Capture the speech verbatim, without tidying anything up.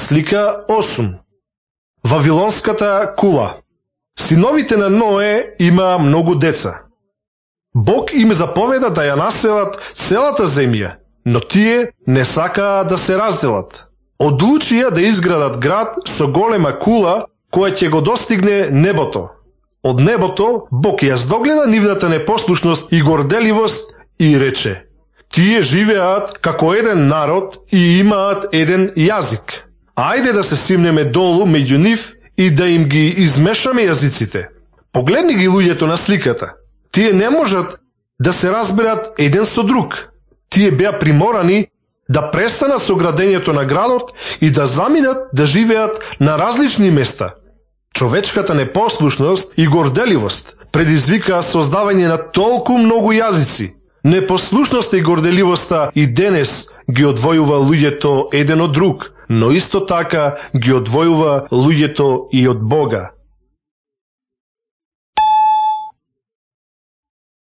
Слика осум. Вавилонската кула. Синовите на Ное имаа многу деца. Бог им заповеда да ја населат целата земја, но тие не сакаа да се разделат. Одлучија да изградат град со голема кула која ќе го достигне небото. Од небото Бог ја здогледа нивната непослушност и горделивост и рече: тие живеат како еден народ и имаат еден јазик. Ајде да се симнеме долу меѓу нив и да им ги измешаме јазиците. Погледни ги луѓето на сликата. Тие не можат да се разберат еден со друг. Тие беа приморани да престанат со градењето на градот и да заминат да живеат на различни места. Човечката непослушност и горделивост предизвикаа создавање на толку многу јазици. Непослушноста и горделивоста и денес ги одвојува луѓето еден од друг, но исто така ги одвојува луѓето и од Бога.